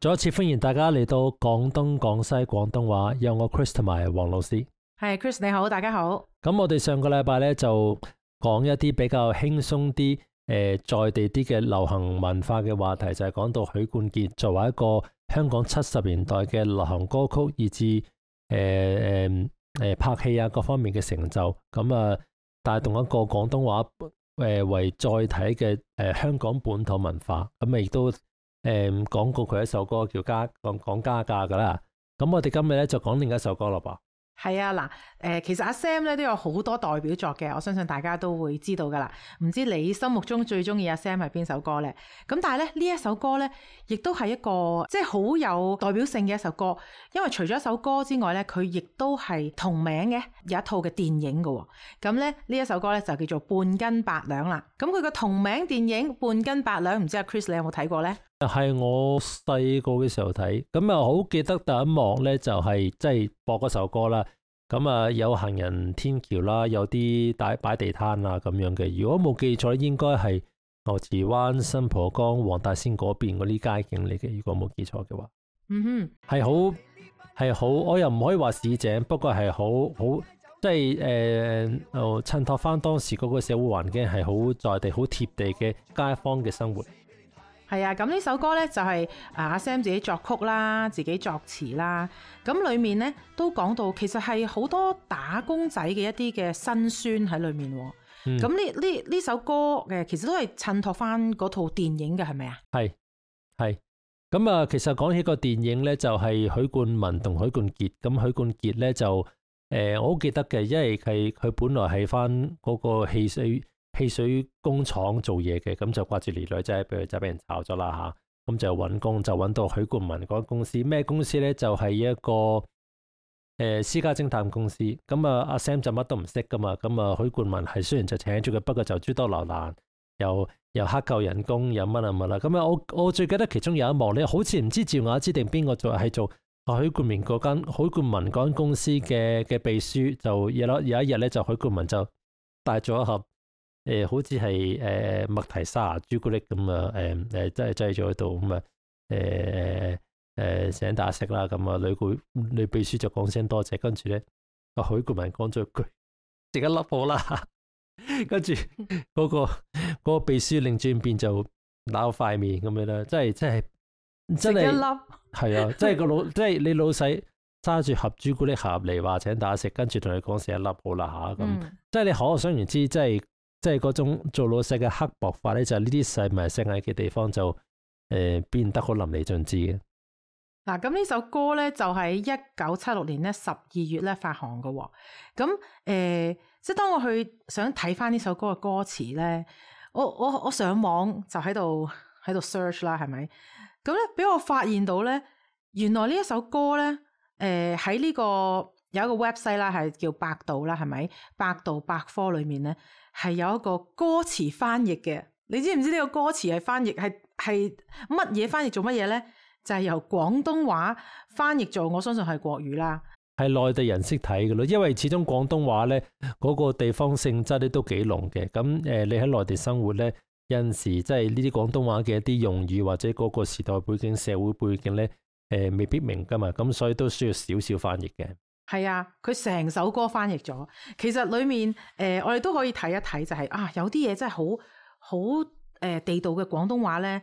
再一次歡迎大家嚟到廣東廣西廣東話，有我 Chris 同埋黃老師。係 Chris 你好，大家好。咁我哋上個禮拜咧就講一啲比較輕鬆啲、在地啲嘅流行文化嘅話題，就係講到許冠傑作為一個香港70年代嘅流行歌曲，以至拍戲啊各方面嘅成就，咁啊帶動一個廣東話為載體嘅香港本土文化，咁亦都講過佢一首歌叫講家價噶啦。咁我哋今日咧就講另一首歌咯噃。係啊，嗱，其實阿 Sam 咧都有好多代表作嘅，我相信大家都會知道噶啦。唔知你心目中最中意阿 Sam 係邊首歌咧？咁但係咧呢一首歌咧，亦都係一個即係好有代表性嘅一首歌，因為除咗一首歌之外咧，佢亦都係同名嘅有一套嘅電影嘅。咁咧呢一首歌咧就叫做半斤八兩啦。咁佢個同名電影半斤八兩，唔知阿 Chris 你有冇睇過咧？係我細個嘅時候睇，咁啊好記得第一幕咧就係即係播嗰首歌啦。咁啊有行人天橋啦，有啲擺地攤啊咁樣嘅。如果冇記錯，應該係牛池灣、新蒲崗、黃大仙嗰邊嗰啲街景嚟嘅。如果冇記錯嘅話，係好，我又唔可以話市井，不過係好即係襯托翻當時嗰個社會環境，係好在地、好貼地嘅街坊嘅生活。係啊，咁呢首歌咧就係阿 Sam 自己作曲啦，自己作詞啦。咁裏面咧都講到，其實係好多打工仔嘅一啲嘅辛酸喺裏面。咁呢首歌嘅其實都係襯托翻嗰套電影嘅，係咪啊？係。咁啊，其實講起個電影咧，就係許冠文同許冠傑。咁許冠傑咧就我好記得嘅，因為佢本來係翻嗰個汽水工廠做嘢嘅，咁就掛住兒女仔，就俾人炒咗啦吓，咁就揾工，就揾到許冠文嗰間公司。咩公司咧？就係一個私家偵探公司。咁啊，阿 Sam 就乜都唔識噶嘛。咁啊，許冠文係雖然就請咗佢，不過就諸多留難，又克扣人工，又乜啊乜啦。咁啊，我最記得其中有一幕咧，好似唔知趙雅芝定邊個做，係做許冠文嗰間公司嘅秘書。就有一日咧，就許冠文就帶咗一盒。好似係麥提沙朱古力咁啊，真係擠咗喺度咁啊，請大家食啦。咁啊，女秘書就講聲多謝，跟住咧，阿許冠文講咗一句食一粒好啦，跟住嗰個秘書擰轉變就鬧塊面咁樣啦，真係食一粒係啊，即係你老細揸住盒朱古力盒嚟話請大家食，跟住同你講食一粒好啦吓，咁即係你可想而知，即係嗰種做老細嘅刻薄法咧，就係呢啲細微細藝嘅地方就變得好淋漓盡致嘅。嗱，咁呢首歌咧就喺1976年咧12月咧發行嘅喎。咁即係當我去想睇翻呢首歌嘅歌詞咧，我上網就喺度 search 啦，係咪？咁咧俾我發現到咧，原來呢一首歌咧，喺呢個有一個 website 啦，係叫百度啦，係咪？百度百科裏面咧係有一個歌詞翻譯嘅。你知唔知呢個歌詞係翻譯係乜嘢翻譯做乜嘢咧？就係由廣東話翻譯做，我相信係國語啦。係內地人識睇嘅咯，因為始終廣東話咧嗰個地方性質咧都幾濃嘅。咁你喺內地生活咧，有陣時即係呢啲廣東話嘅一啲用語或者嗰個時代背景、社會背景咧，未必明噶嘛。咁所以都需要少少翻譯嘅。係啊，佢成首歌翻譯咗。其實裏面我哋都可以睇一睇，就係有啲嘢真係好地道嘅廣東話咧。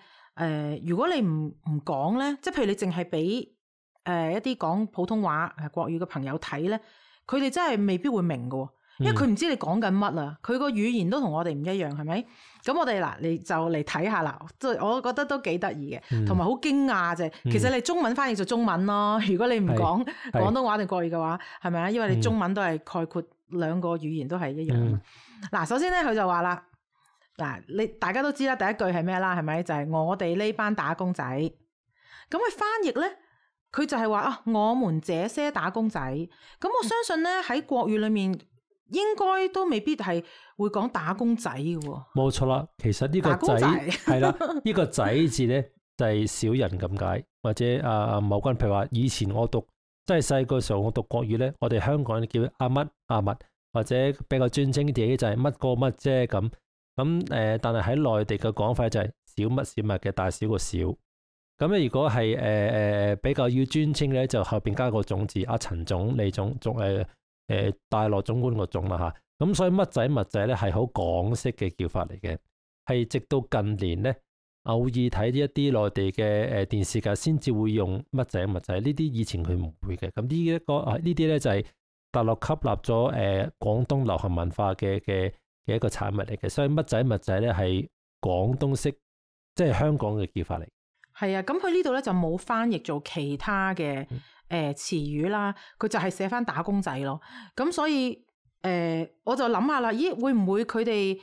如果你唔講咧，即係譬如你淨係俾一啲講普通話國語嘅朋友睇咧，佢哋真係未必會明㗎，因為佢唔知你講緊乜啊。佢個語言都同我哋唔一樣，係咪？咁我哋你就嚟睇下啦。即係我覺得都幾得意嘅，同埋好驚訝啫。其實你中文翻譯做中文咯。如果你唔講廣東話定國語嘅話，係咪啊？因為你中文都係概括兩個語言都係一樣。嗱，首先咧佢就話啦，嗱，大家都知啦，第一句係咩啦？係咪？就係我哋呢班打工仔。咁佢翻譯咧，佢就係話我們這些打工仔。咁我相信咧喺國語裏面，應該都未必係會講打工仔嘅喎。冇錯啦，其實呢個仔係啦，呢個仔字咧就係小人咁解，或者某君譬如話以前我讀即係細個時候我讀國語咧，我哋香港人叫阿乜阿乜，或者比較尊稱啲就係乜個乜啫咁。但係喺內地嘅講法就係小乜小乜嘅大小個小。咁咧如果係比較要尊稱咧，就後邊加個總字，阿陳總、李總、大羅總管個總啦嚇。咁所以乜仔物仔咧係好港式嘅叫法嚟嘅，係直到近年咧偶爾睇一啲內地嘅電視劇先至會用乜仔物仔，呢啲以前佢唔會嘅。咁呢啲咧就係大陸吸納咗廣東流行文化嘅一個產物嚟嘅，所以乜仔物仔咧係廣東式，即係香港嘅叫法嚟。係啊，咁佢呢度咧就冇翻譯做其他嘅詞語啦，佢就係寫翻打工仔咯。咁所以我就諗下啦，咦會唔會佢哋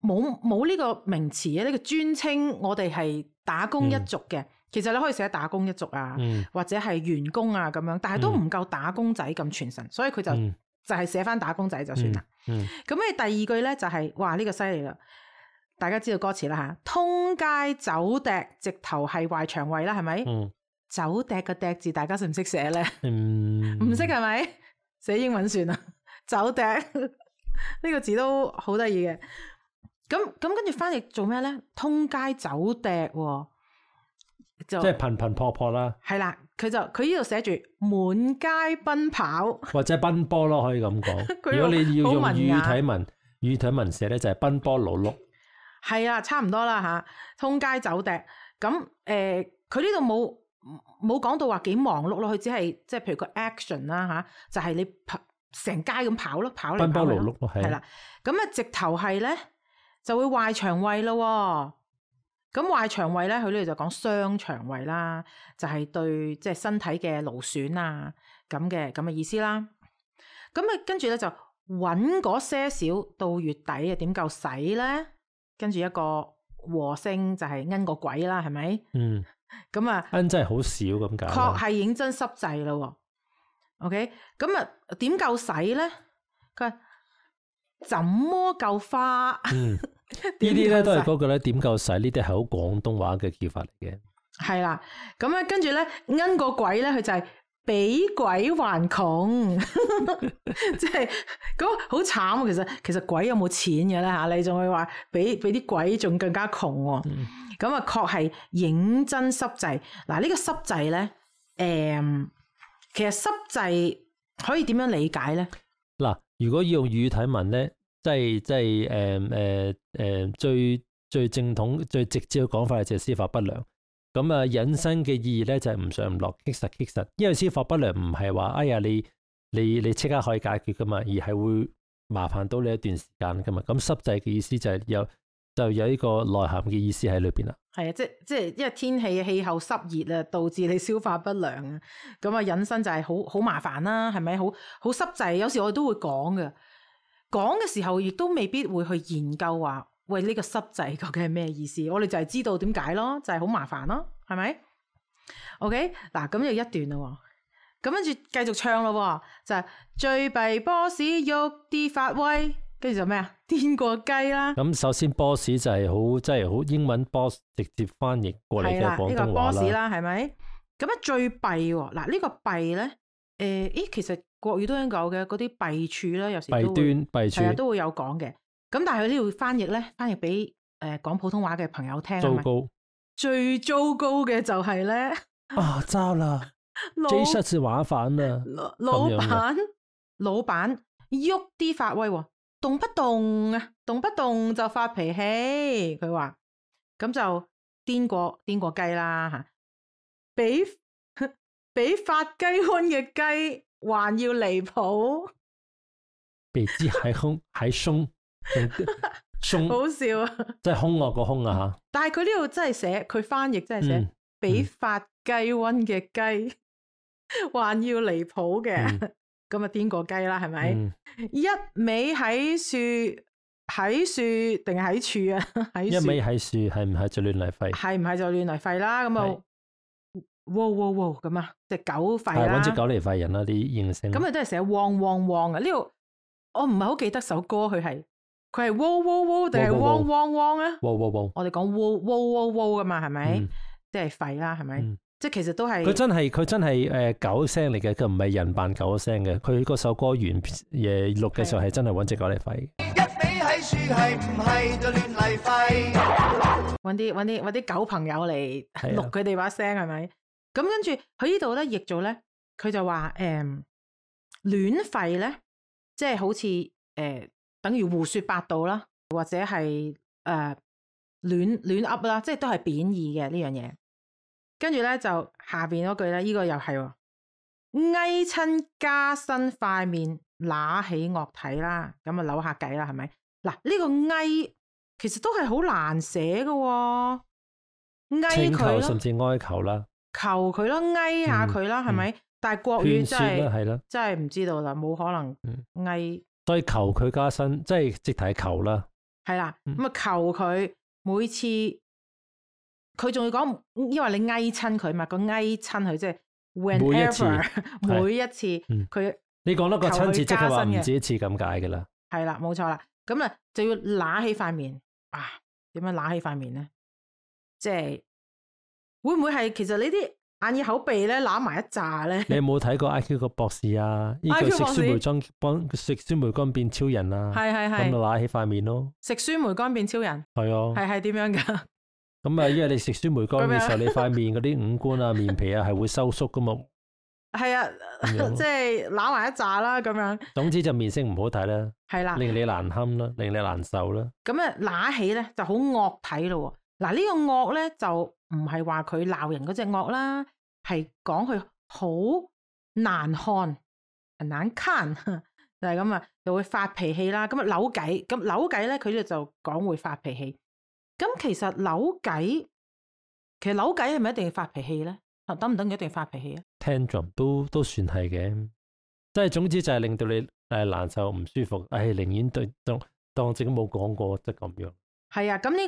冇呢個名詞啊？呢個專稱我哋係打工一族嘅，其實你可以寫打工一族啊，或者係員工啊咁樣，但係都唔夠打工仔咁傳神，所以佢就係寫翻打工仔就算啦。咁你第二句咧就係哇呢個犀利啦！大家知道歌詞啦吓，通街走趯，直頭係壞腸胃啦，係咪？走趯個趯字，大家識唔識寫咧？唔識係咪？寫英文算啦。走趯呢個字都好得意嘅。咁跟住翻譯做咩咧？通街走趯，即係頻頻撲撲啦。係啦，佢呢度寫住滿街奔跑，或者奔波咯，可以咁講。如果你要用語體文寫咧，就係奔波勞碌。係啊，差唔多啦吓，通街走趯。咁佢呢度冇講到話幾忙碌咯，佢只係即係譬如個 action 啦吓，就係你成街咁跑咯，跑嚟跑去。奔波勞碌咯，係啦。咁啊，直頭係咧就會壞腸胃咯。咁壞腸胃咧，佢呢度就講傷腸胃啦，就係對即係身體嘅勞損啊咁嘅意思啦。咁啊，跟住咧就揾嗰些少到月底啊，點夠使咧？跟住一個和聲就係奀個鬼啦，係咪？咁啊，奀真係好少咁解。確係認真濕滯咯。OK， 咁啊點夠使咧？佢話怎麼夠花？呢啲咧都係嗰個咧點夠使？呢啲係好廣東話嘅叫法嚟嘅。係啦，咁啊跟住咧奀個鬼咧，佢就係比鬼還窮，即係咁好慘。其實鬼有冇錢嘅咧吓？你仲會話比啲鬼仲更加窮喎？咁啊確係認真濕滯。嗱呢個濕滯咧，其實濕滯可以點樣理解咧？嗱，如果要用語體文咧，即係最正統、最直接嘅講法就係司法不良。咁啊，引申嘅意義咧就係唔上唔落，棘實。因為司法不良唔係話哎呀你即刻可以解決噶嘛，而係會麻煩到你一段時間噶嘛。咁濕滯嘅意思就係有呢個內涵嘅意思喺裏邊啦。係啊，即係因為天氣候濕熱啊，導致你消化不良啊。咁啊，引申就係好麻煩啦，係咪？好濕滯。有時我哋都會講嘅時候，亦都未必會去研究話。喂，呢個濕滯究竟係咩意思？我哋就係知道點解咯，就係好麻煩咯，係咪 ？OK， 嗱咁就一段咯，咁跟住繼續唱咯，就係最弊 boss 喐啲發威，跟住就咩啊？癲過雞啦！咁首先 boss 就係即係好英文 boss 直接翻譯過嚟嘅廣東話啦。呢個 boss 啦，係咪？咁啊最弊喎，嗱呢個弊咧，其實國語都應該有嘅，嗰啲弊處咧，有時都會成日都會有講嘅。咁但係佢呢度翻譯俾講普通話嘅朋友聽。糟糕，最糟糕嘅就係咧糟啦，J 出事玩反啦，老闆喐啲發威，動不動就發脾氣，佢話咁就癲過雞啦吓，比發雞瘟嘅雞還要離譜，比之還兇。好笑啊！即係兇惡個兇啊吓！但係佢呢度真係寫，佢翻譯真係寫比發雞瘟嘅雞還要離譜嘅，咁啊癲過雞啦，係咪？一味喺樹定係喺處啊？喺一味喺樹係唔係就亂嚟吠？係唔係就亂嚟吠啦？咁啊，汪咁啊，隻狗吠啦，搵隻狗嚟吠人啦啲形聲。咁啊都係寫汪啊！呢度我唔係好記得首歌，佢係喔定係汪啊？我哋講喔噶嘛，係咪？即係吠啦，係咪？即係其實都係佢真係狗聲嚟嘅，佢唔係人扮狗聲嘅。佢嗰首歌原錄嘅時候係真係搵隻狗嚟吠。一味喺樹係唔係就亂嚟吠？搵啲狗朋友嚟錄佢哋把聲係咪？咁跟住佢呢度咧譯做咧，佢就話亂吠咧，即係好似等於胡說八道啦，或者係亂噏啦，即係都係貶義嘅呢樣嘢。跟住咧就下邊嗰句咧，呢個又係翳親加身塊面，揦起惡體啦，咁啊扭下計啦，係咪？嗱，呢個翳其實都係好難寫嘅，翳佢咯，甚至哀求啦，求佢咯，翳下佢啦，係咪？但係國語真係唔知道啦，冇可能翳。所以求佢加身，即係直頭求啦。係啦，咁啊求佢每次，佢仲要講，因為你翳親佢嘛，個翳親佢即係 whenever 每一次佢。你講多個親切，即係話唔止一次咁解嘅啦。係啦，冇錯啦。咁啊就要揦起塊面啊？點樣揦起塊面咧？即係會唔會係其實呢啲眼耳口鼻咧揦埋一紮咧？你有冇睇過 IQ 個博士啊？呢個食酸梅乾幫食酸梅乾變超人啊？係咁就揦起塊面咯。食酸梅乾變超人係啊？係點樣噶？咁啊，因為你食酸梅乾嘅時候，你塊面嗰啲五官啊、面皮啊係會收縮噶嘛。係啊，即係揦埋一紮啦，咁樣。總之就面色唔好睇啦，係啦，令你難堪啦，令你難受啦。咁啊，揦起咧就好惡睇咯。嗱，呢個惡咧就唔係話佢鬧人嗰隻惡啦，係講佢好難看，難看就係咁啊，就會發脾氣啦。咁啊扭計，咁扭計咧，佢哋就講會發脾氣。咁其實扭計係咪一定要發脾氣咧？等唔等佢一定發脾氣啊 ？Tantrum 都算係嘅，即係總之就係令到你難受唔舒服，寧願當自己冇講過，即係咁樣。係啊，咁呢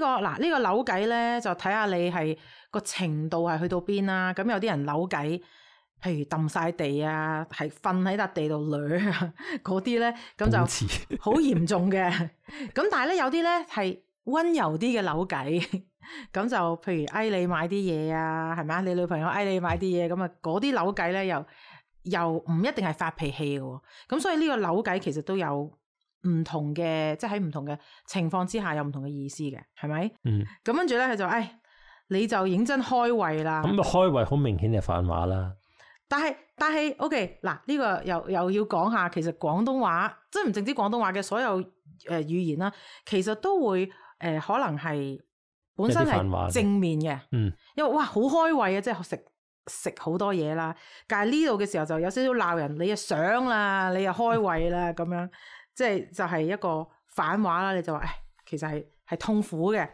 個扭計咧，就睇下你係個程度係去到邊啦。咁有啲人扭計，譬如揼晒地啊，係瞓喺笪地度掠啊，嗰啲咧咁就好嚴重嘅。咁但係咧有啲咧係溫柔啲嘅扭計。咁就譬如嗌你買啲嘢啊，係咪啊？你女朋友嗌你買啲嘢，咁啊嗰啲扭計咧又唔一定係發脾氣嘅。咁所以呢個扭計其實都有唔同嘅，即係喺唔同嘅情況之下有唔同嘅意思嘅，係咪？咁跟住咧佢就你就認真開胃啦。咁開胃好明顯係反話啦。但係 OK 嗱，呢個又要講下，其實廣東話即係唔淨止廣東話嘅所有語言啦，其實都會可能係。本身係正面嘅，因為哇好開胃啊，即係食好多嘢啦。但係呢度嘅時候就有少少鬧人，你又想啦，你又開胃啦，咁樣即係就係一個反話啦。你就話其實係痛苦嘅，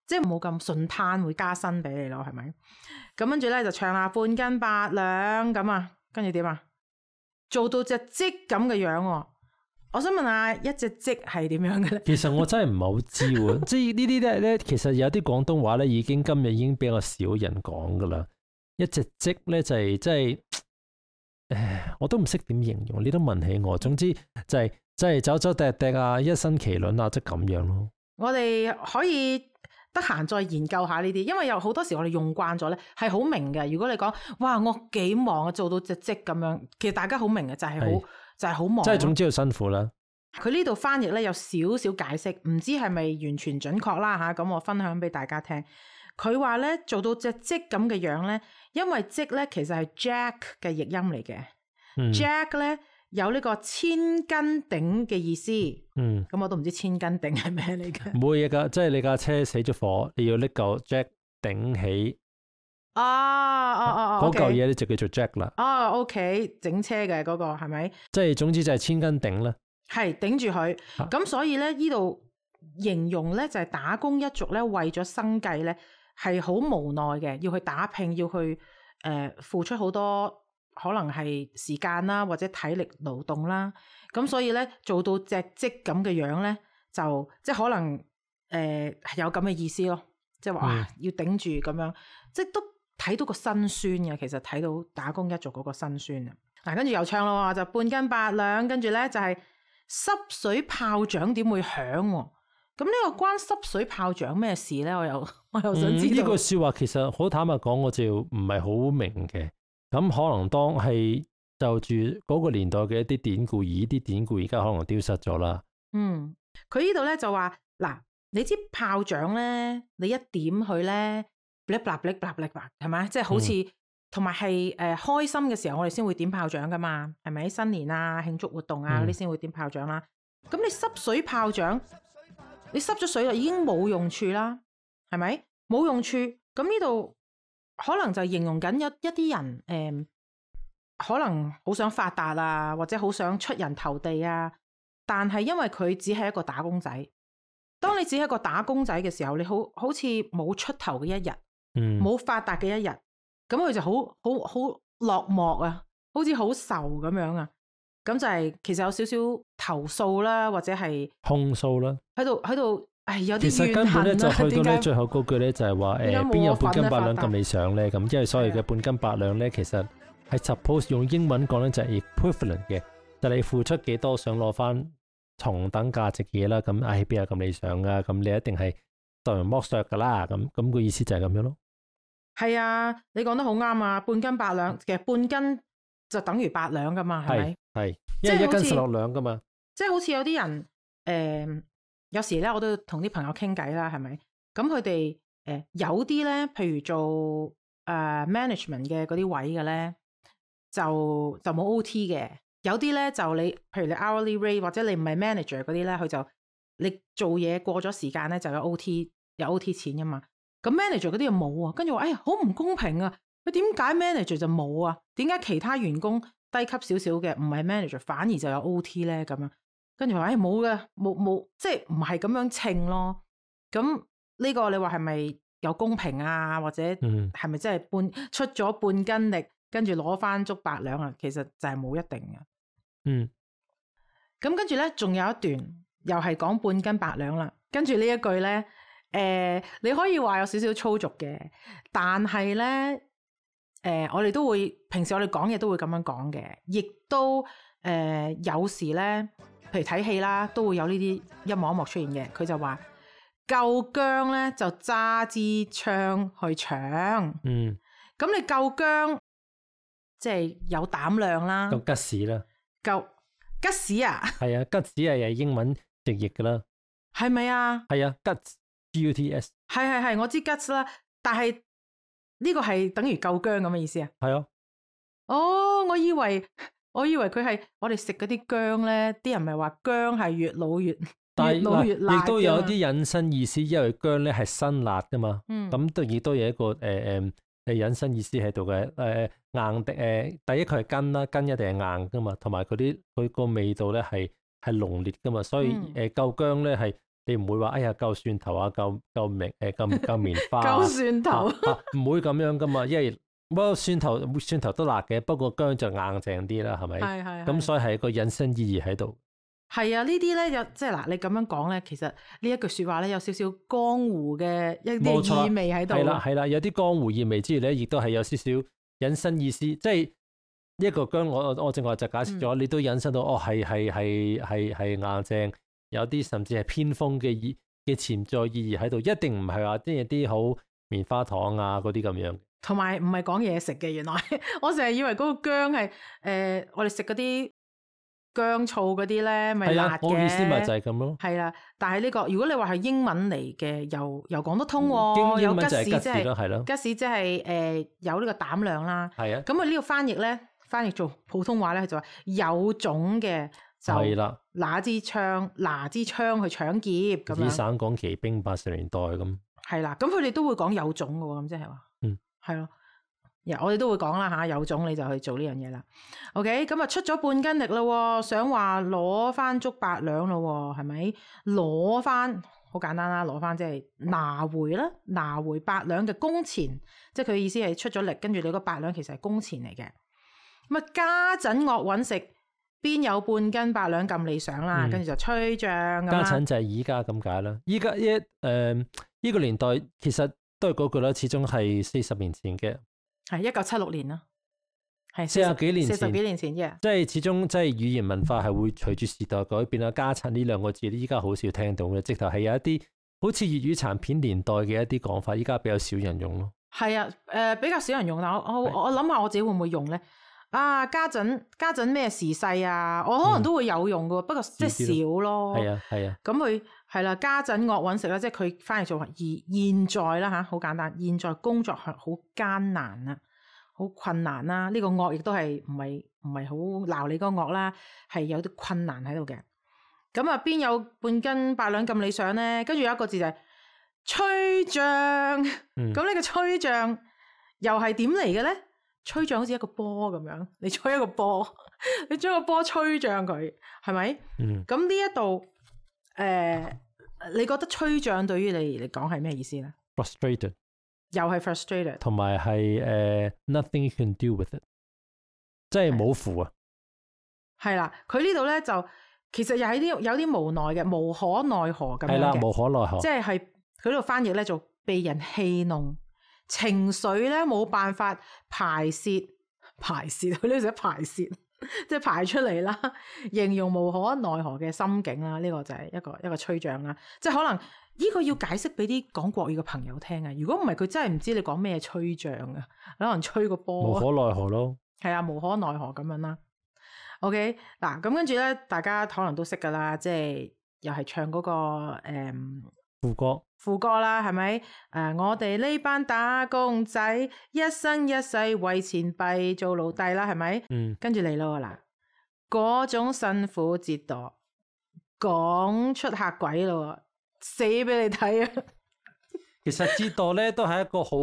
即係冇咁順攤會加薪俾你咯，係咪？咁跟住咧就唱下半斤八兩咁啊，跟住點啊？做到隻積咁嘅樣喎。我想問下一隻積係點樣嘅咧？其實我真係唔係好知喎，即係呢啲咧，其實有啲廣東話咧，今日已經比較少人講噶啦。一隻積咧就係即係，我都唔識點形容，你都問起我。總之就係即係走走趯趯啊，一身麒麟啊，即係咁樣咯。我哋可以得閒再研究下呢啲，因為有好多時我哋用慣咗咧，係好明嘅。如果你講哇，我幾忙啊，做到隻積咁樣，其實大家好明嘅，就係好忙，即係總之要辛苦啦。佢呢度翻譯咧有少少解釋，唔知係咪完全準確啦吓。咁我分享俾大家聽。佢話咧做到隻積咁嘅樣咧，因為積咧其實係 Jack 嘅譯音嚟嘅。Jack 咧有呢個千斤頂嘅意思。咁我都唔知千斤頂係咩嚟嘅。冇嘢噶，即係你架車死咗火，你要拎嚿 Jack 頂起。嗰嚿嘢咧就叫做 Jack 啦。OK， 整車嘅嗰個係咪？即係總之就係千斤頂啦。係頂住佢。咁所以咧呢度形容咧就係打工一族咧為咗生計咧係好無奈嘅，要去打拼，要去付出好多可能係時間啦或者體力勞動啦。咁所以咧做到隻積咁嘅樣咧，就即係可能有咁嘅意思咯。即係話要頂住咁樣，即係都。睇到個辛酸嘅，其實睇到打工一族嗰個辛酸啊！嗱，跟住又唱咯，就半斤八兩，跟住咧就係濕水炮仗點會響？咁呢個關濕水炮仗咩事咧？我又想知道。呢句說話其實好坦白講，我就唔係好明嘅。咁可能當係就住嗰個年代嘅一啲典故，而呢啲典故而家可能丟失咗啦。佢呢度咧就話嗱，你知炮仗咧，你一點佢咧，嗶嗶嗶嗶嗶嗶，係咪？即係好似同埋係開心嘅時候，我哋先會點炮仗噶嘛，係咪？新年啊、慶祝活動啊嗰啲先會點炮仗啦。咁你濕水炮仗，你濕咗水啦，已經冇用處啦，係咪？冇用處，咁呢度可能就形容緊一啲人可能好想發達啊，或者好想出人頭地啊，但係因為佢只係一個打工仔。當你只係一個打工仔嘅時候，你好似冇出頭嘅一日，冇發達嘅一日，咁佢就好落寞啊，好似好愁咁樣啊。咁就係其實有少少投訴啦，或者係控訴啦，喺度，有啲怨恨啦。其實根本咧就去到咧最後嗰句咧就係話邊有半斤八兩咁理想咧？咁因為所謂嘅半斤八兩咧，其實係 suppose 用英文講咧就係 equivalent 嘅，就你付出幾多想攞翻同等價值嘅嘢啦。咁邊有咁理想啊？咁你一定係受人剝削噶啦。咁個意思就係咁樣咯。係啊，你講得好啱啊！半斤八兩，其實半斤就等於8兩噶嘛，係咪？係，因為1斤16兩噶嘛。即係好似有啲人有時咧我都同啲朋友傾偈啦，係咪？咁佢哋有啲咧，譬如做management 嘅嗰啲位嘅咧，就冇 OT 嘅。有啲咧就你，譬如你 hourly rate 或者你唔係 manager 嗰啲咧，佢就你做嘢過咗時間咧就有 OT 錢噶嘛。咁 manager 嗰啲又冇啊，跟住話好唔公平啊！佢點解 manager 就冇啊？點解其他員工低級少少嘅唔係 manager 反而就有 OT 咧？咁樣跟住話冇嘅，冇，即係唔係咁樣稱咯。咁呢個你話係咪有公平啊？或者係咪真係出咗半斤力，跟住攞翻足8兩啊？其實就係冇一定嘅。咁跟住咧，仲有一段又係講半斤8兩啦。跟住呢一句咧。你可以話有少少粗俗嘅，但係咧，我哋都會平時我哋講嘢都會咁樣講嘅，亦都有時咧，譬如睇戲啦，都會有呢啲一幕一幕出現嘅。佢就話夠薑咧就揸支槍去搶，咁你夠薑即係有膽量啦，夠吉士啦，夠吉士啊，係啊，吉士係英文直譯噶啦，係咪啊？係啊，吉。GUTS 係，我知 guts 啦，但係呢個係等於夠薑咁嘅意思啊？係啊。我以為佢係我哋食嗰啲薑咧，啲人咪話薑係越老越辣，亦都有啲引申意思，因為薑咧係辛辣噶嘛。咁亦都有一個引申意思喺度嘅。硬的第一佢係根啦，根一定係硬噶嘛，同埋佢個味道咧係濃烈噶嘛，所以夠薑咧係。你唔會話夠蒜頭啊，夠棉花啊，夠蒜頭唔會咁樣噶嘛，因為不過蒜頭都辣嘅，不過薑就硬淨啲啦，係咪？係。咁所以係一個引申意義喺度。係啊，呢啲咧有即係嗱，你咁樣講咧，其實呢一句説話咧有少少江湖嘅一啲意味喺度。係啦，有啲江湖意味之餘咧，亦都係有少少引申意思，即係一個薑，我正話就解釋咗，你都引申到係硬淨。有啲甚至係偏鋒嘅潛在意義喺度，一定唔係話即係啲好棉花糖啊嗰啲咁樣。同埋唔係講嘢食嘅，原來我成日以為嗰個薑係我哋食嗰啲薑醋嗰啲咧，咪辣嘅。我意思咪就係咁咯。係啦，但係呢個如果你話係英文嚟嘅，又講得通喎。有吉士即係吉士即係有呢個膽量啦。係啊。咁呢個翻譯做普通話咧，就話有種嘅。就拿支槍去搶劫咁樣。省港旗兵80年代咁。係啦，咁佢哋都會講有種嘅喎，咁即係話，係咯，我哋都會講啦嚇，有種你就去做呢樣嘢啦。OK，咁啊出咗半斤力啦，想話攞翻足8兩咯，係咪？攞翻好簡單啦，攞翻即係拿回啦，拿回8兩嘅工錢，即係佢意思係出咗力，跟住你嗰8兩其實係工錢嚟嘅。咁啊家陣惡揾食。邊有半斤8兩咁理想啦？跟住就吹脹咁啦。家陣就係依家咁解啦。依家呢個年代其實都係嗰句啦，始終係40年前嘅。係1976年啦，係40幾年前嘅。即係始終即係語言文化係會隨住時代改變啦。家陣呢兩個字依家好少聽到嘅，直頭係有一啲好似粵語殘片年代嘅一啲講法，依家比較少人用咯。係啊，比較少人用，但我諗下我自己會唔會用咧？家陣咩時勢啊，我可能都會有用噶，不過即係少咯。係啊。咁佢係啦，家陣惡揾食啦，即係佢翻嚟做現在啦吓，好簡單，現在工作係好艱難啊，好困難啦。呢個惡亦都係唔係好鬧你嗰個惡啦，係有啲困難喺度嘅。咁啊，邊有半斤八兩咁理想咧？跟住有一個字就係吹脹。咁呢個吹脹又係點嚟嘅咧？吹脹好似一個波咁樣，你吹一個波，你將個波吹脹佢，係咪？咁呢一度你覺得吹脹對於你嚟講係咩意思咧 ？Frustrated， 又係 frustrated， 同埋係nothing you can do with it， 即係冇符啊。係啦，佢呢度咧就其實又係有啲無奈嘅，無可奈何咁樣嘅。係啦，無可奈何，即係佢呢度翻譯咧就被人戲弄。情緒咧冇辦法排泄，佢呢度寫排泄，即係排出嚟啦。形容無可奈何嘅心境啦，呢個就係一個吹脹啦。即係可能呢個要解釋俾啲講國語嘅朋友聽啊。如果唔係，佢真係唔知你講咩吹脹啊，可能吹個波。無可奈何咯。係啊，無可奈何咁樣啦。OK， 嗱咁跟住咧，大家可能都識噶啦，即係又係唱嗰個副歌啦，係咪？我哋呢班打工仔一生一世為錢幣做奴隸啦，係咪？跟住嚟咯嗱，嗰種辛苦折墮，講出嚇鬼咯，死俾你睇啊！其實折墮咧都係一個好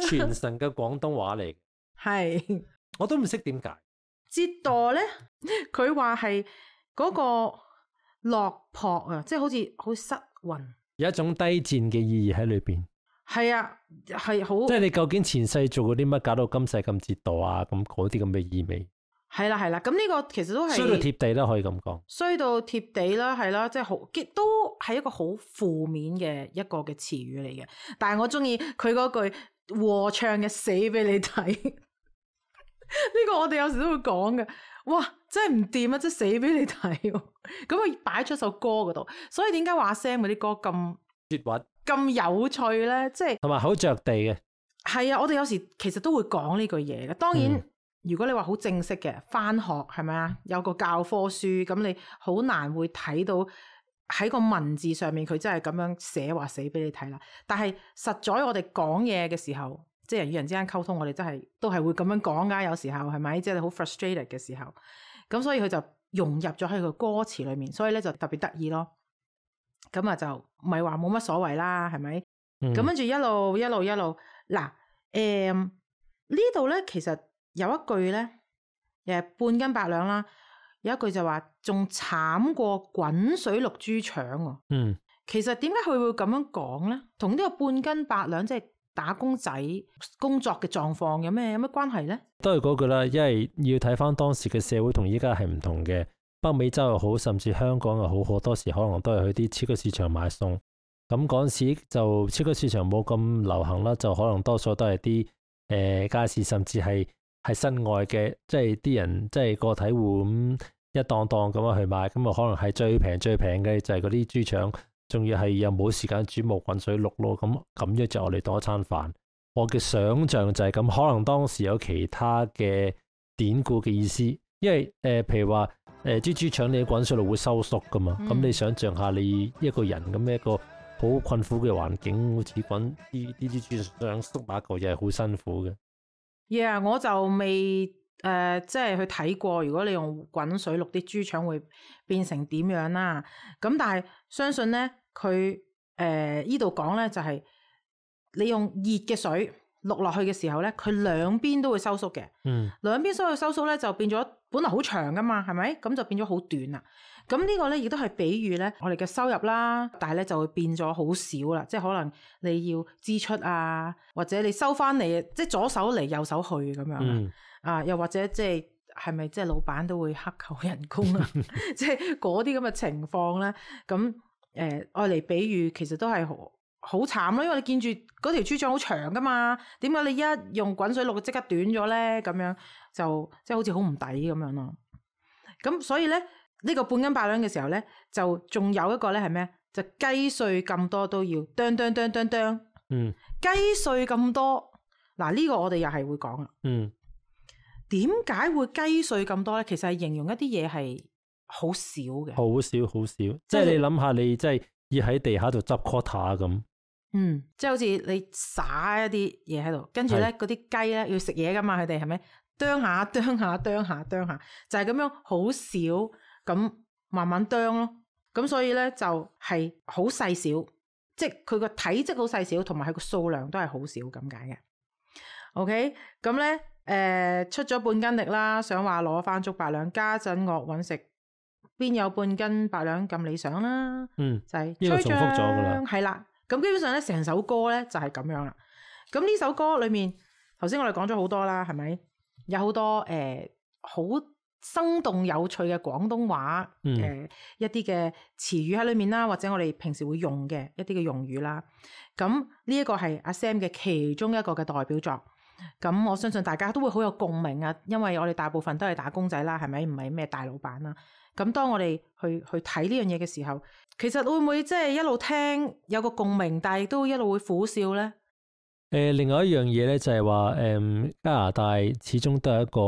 傳神嘅廣東話嚟，係我都唔識點解折墮咧。佢話係嗰個落魄啊，即係好似失魂。有一種低賤嘅意義喺裏邊，係啊，係好，即係你究竟前世做過啲乜，搞到今世咁折墮啊？咁嗰啲咁嘅意味，係啦，咁呢個其實都係衰到貼地啦，可以咁講，衰到貼地啦，係啦，即係好，都係一個好負面嘅一個嘅詞語嚟嘅。但係我中意佢嗰句和唱嘅死俾你睇，呢個我哋有時都會講嘅。哇，真係唔掂啊！真係死俾你睇，咁佢擺出首歌嗰度，所以點解話 Sam 嗰啲歌咁絕核咁有趣咧？即係同埋好着地嘅。係啊，我哋有時其實都會講呢句嘢嘅。當然，如果你話好正式嘅返學係咪啊？有個教科書，咁你好難會睇到喺個文字上面佢真係咁樣寫話死俾你睇啦。但係實在我哋講嘢嘅時候，即係人與人之間溝通，我哋真係都係會咁樣講㗎。有時候係咪？即係你好 frustrated 嘅時候，咁所以佢就融入咗喺個歌詞裏面，所以咧就特別得意咯。咁啊就唔係話冇乜所謂啦，係咪？咁跟住一路嗱，呢度咧其實有一句咧，半斤八兩啦，有一句就話仲慘過滾水淥豬腸喎。其實點解佢會咁樣講咧？同呢個半斤八兩即係打工仔工作嘅狀況有咩關係咧？都係嗰句啦，因為要睇翻當時嘅社會同依家係唔同嘅。北美洲又好，甚至香港又好，好多時可能都係去啲超級市場買餸。咁嗰陣時就超級市場冇咁流行啦，就可能多數都係啲街市，甚至係室外嘅，即係啲人即係個體戶咁一檔檔咁樣去買。咁啊可能係最平嘅就係嗰啲豬腸。仲要係又冇時間煮冇滾水淥咯，咁樣就我哋當一餐飯。我嘅想像就係咁，可能當時有其他嘅典故嘅意思，因為譬如話豬腸你滾水淥會收縮噶嘛，咁你想像下你一個人咁一個好困苦嘅環境，好似滾啲豬腸縮埋一嚿嘢係好辛苦嘅。Yeah， 我就未即係去睇過，如果你用滾水淥啲豬腸會變成點樣啦？咁但係相信咧。佢呢度講咧就係你用熱嘅水淥落去嘅時候咧，佢兩邊都會收縮嘅。兩邊收縮咧就變咗本來好長噶嘛，係咪？咁就變咗好短啦。咁呢個咧亦都係比喻咧我哋嘅收入啦，但係咧就會變咗好少啦。即係可能你要支出啊，或者你收翻嚟，即係左手嚟右手去咁樣。又或者即係咪即係老闆都會克扣人工啊？即係嗰啲咁嘅情況咧，咁。愛嚟比喻，其實都係好慘咯，因為你見住嗰條豬腸好長噶嘛，點解你一用滾水淥即刻短咗咧？咁樣就即係好似好唔抵咁樣咯。咁所以咧呢個半斤八兩嘅時候咧，就仲有一個咧係咩？就雞碎咁多都要啄。雞碎咁多嗱，呢個我哋又係會講啦。點解會雞碎咁多咧？其實係形容一啲嘢係好少嘅，好少，即係你諗下，你即係要喺地下度執 quarter 咁。即係好似你撒一啲嘢喺度，跟住咧嗰啲雞咧要食嘢噶嘛，佢哋係咪啄下，就係咁樣好少咁慢慢啄咯。咁所以咧就係好細小，即係佢個體積好細小，同埋佢個數量都係好少咁解嘅。OK， 咁咧出咗半斤力啦，想話攞翻足8兩，家陣惡揾食，邊有半斤8兩咁理想啦？就係呢個重複咗噶啦，係啦。咁基本上咧，成首歌咧就係咁樣啦。咁呢首歌裏面，頭先我哋講咗好多啦，係咪？有好多好生動有趣嘅廣東話一啲嘅詞語喺裏面啦，或者我哋平時會用嘅一啲嘅用語啦。咁呢一個係阿 Sam 嘅其中一個嘅代表作。咁我相信大家都會好有共鳴啊，因為我哋大部分都係打工仔啦，係咪？唔係咩大老闆啦。咁當我哋去睇呢樣嘢嘅時候，其實會唔會即係一路聽有個共鳴，但係亦都一路會苦笑咧？另外一樣嘢咧就係話，加拿大始終都係一個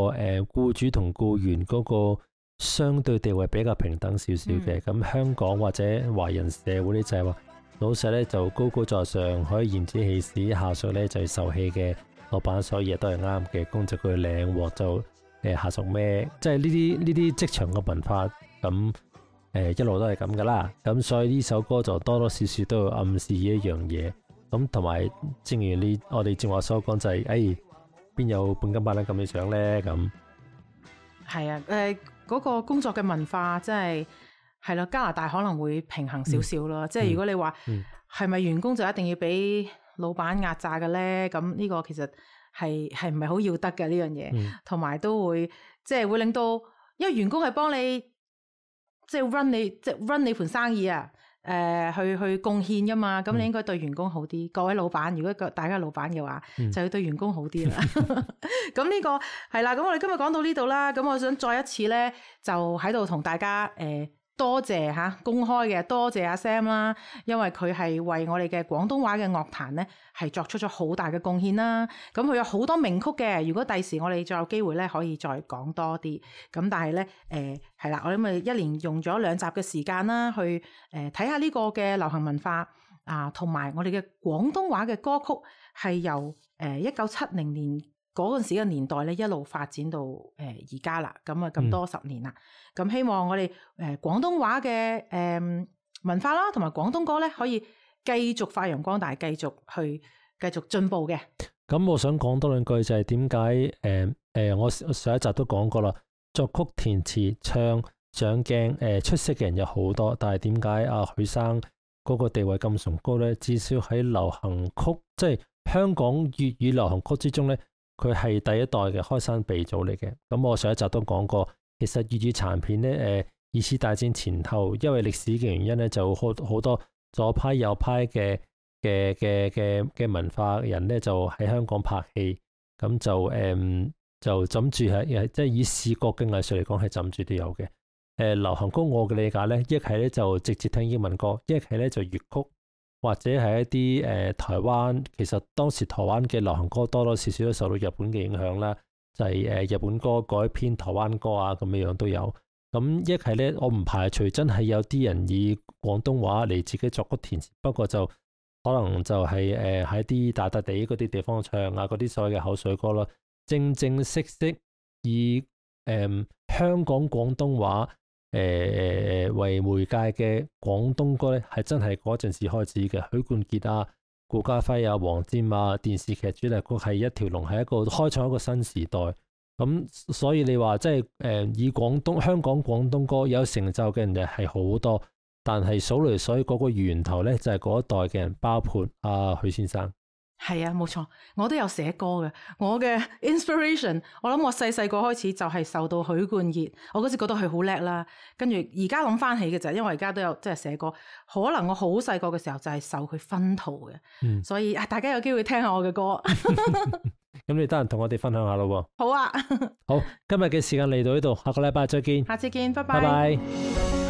僱主同僱員嗰個相對地位比較平等少少嘅。咁香港或者華人社會咧就係話，老細咧就高高在上，可以頤指氣使，下屬咧就係受氣嘅。老闆所有嘢都係啱嘅，工作佢領獲就下屬咩，即係呢啲職場嘅文化咁一路都係咁噶啦。咁所以呢首歌就多多少少都有暗示呢一樣嘢。咁同埋正如我哋正話所講就係邊有半斤8兩咁理想咧？咁係啊，嗰個工作嘅文化真係咯，加拿大可能會平衡少少咯。即係如果你話係咪員工就一定要俾老闆壓榨嘅咧？咁呢個其實係唔係好要得嘅呢樣嘢，同埋都會即係會令到，因為員工係幫你即係 run 你盤生意啊，去貢獻噶嘛，咁你應該對員工好啲。各位老闆，如果大家係老闆嘅話，就要對員工好啲啦。咁呢個係啦，咁我哋今日講到呢度啦，咁我想再一次咧就喺度同大家多謝公開嘅多謝阿 Sam 啦，因為佢係為我哋嘅廣東話嘅樂壇咧係作出咗好大嘅貢獻啦。咁佢有好多名曲嘅，如果第時我哋再有機會咧，可以再講多啲。咁但係咧係啦，我哋咪一連用咗2集嘅時間啦，去睇下呢個嘅流行文化啊，同埋我哋嘅廣東話嘅歌曲係由1970年嗰陣時嘅年代咧一路發展到而家啦，咁多10年啦。咁希望我哋廣東話嘅文化啦，同埋廣東歌咧，可以繼續發揚光大，繼續進步嘅。咁我想講多兩句就係點解我上一集都講過啦，作曲填詞唱上鏡出色嘅人有好多，但係點解阿許生嗰個地位咁崇高咧？至少喺流行曲，即係香港粵語流行曲之中咧，佢係第一代嘅開山鼻祖嚟嘅。咁我上一集都講過，其實粵語殘片咧二次大戰前後，因為歷史嘅原因咧，就好多左派右派嘅文化人咧，就喺香港拍戲，咁就枕住係即係以視覺嘅藝術嚟講係枕住都有嘅。流行曲我嘅理解咧，一係咧就直接聽英文歌，一係咧就粵曲，或者係一啲台灣，其實當時台灣嘅流行歌多多少少都受到日本嘅影響啦，就係日本歌改編台灣歌啊，咁樣都有。咁一係咧，我唔排除真係有啲人以廣東話嚟自己作曲填詞，不過就可能就係喺啲大笪地嗰啲地方唱啊，嗰啲所謂嘅口水歌咯。正式以香港廣東話為媒介嘅廣東歌咧，係真係嗰陣時開始嘅。許冠傑啊、顧嘉輝啊、黃霑啊，電視劇主題曲係一條龍，係一個開創一個新時代。咁所以你話即係以香港廣東歌有成就嘅人就係好多，但係數嚟所以嗰個源頭咧就係嗰一代嘅人，包括許先生。係啊，冇錯，我都有寫歌嘅。我嘅 inspiration， 我諗我細個開始就係受到許冠傑，我嗰時覺得佢好叻啦。跟住而家諗翻起嘅就係，因為而家都有即係寫歌，可能我好細個嘅時候就係受佢熏陶嘅。所以大家有機會聽下我嘅歌。咁你得閒同我哋分享下咯。好啊。好，今日嘅時間嚟到呢度，下個禮拜再見。下次見，拜拜。拜拜。